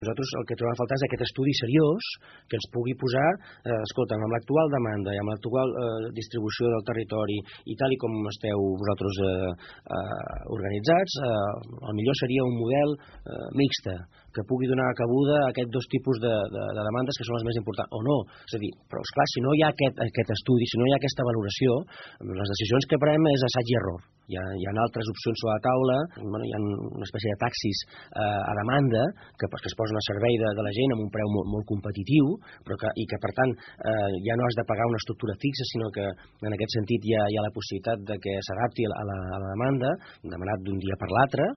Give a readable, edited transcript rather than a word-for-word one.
Nosaltres el que trobem a faltar és aquest estudi seriós que ens pugui posar, escolta, amb l'actual demanda i amb l'actual distribució del territori i tal i com esteu vosaltres organitzats, el millor seria un model mixte, que pugui donar cabuda a aquests dos tipus de demandes que són les més importants, o no. És a dir, però esclar, si no hi ha aquest estudi, si no hi ha aquesta valoració, les decisions que prenem és assaig i error. Hi ha altres opcions sobre la taula, hi ha una espècie de taxis a demanda que es posen a servei de la gent amb un preu molt competitiu, i que per tant ja no has de pagar una estructura fixa, sinó que en aquest sentit hi ha la possibilitat de que s'adapti a la demanda, demanat d'un dia per l'altre,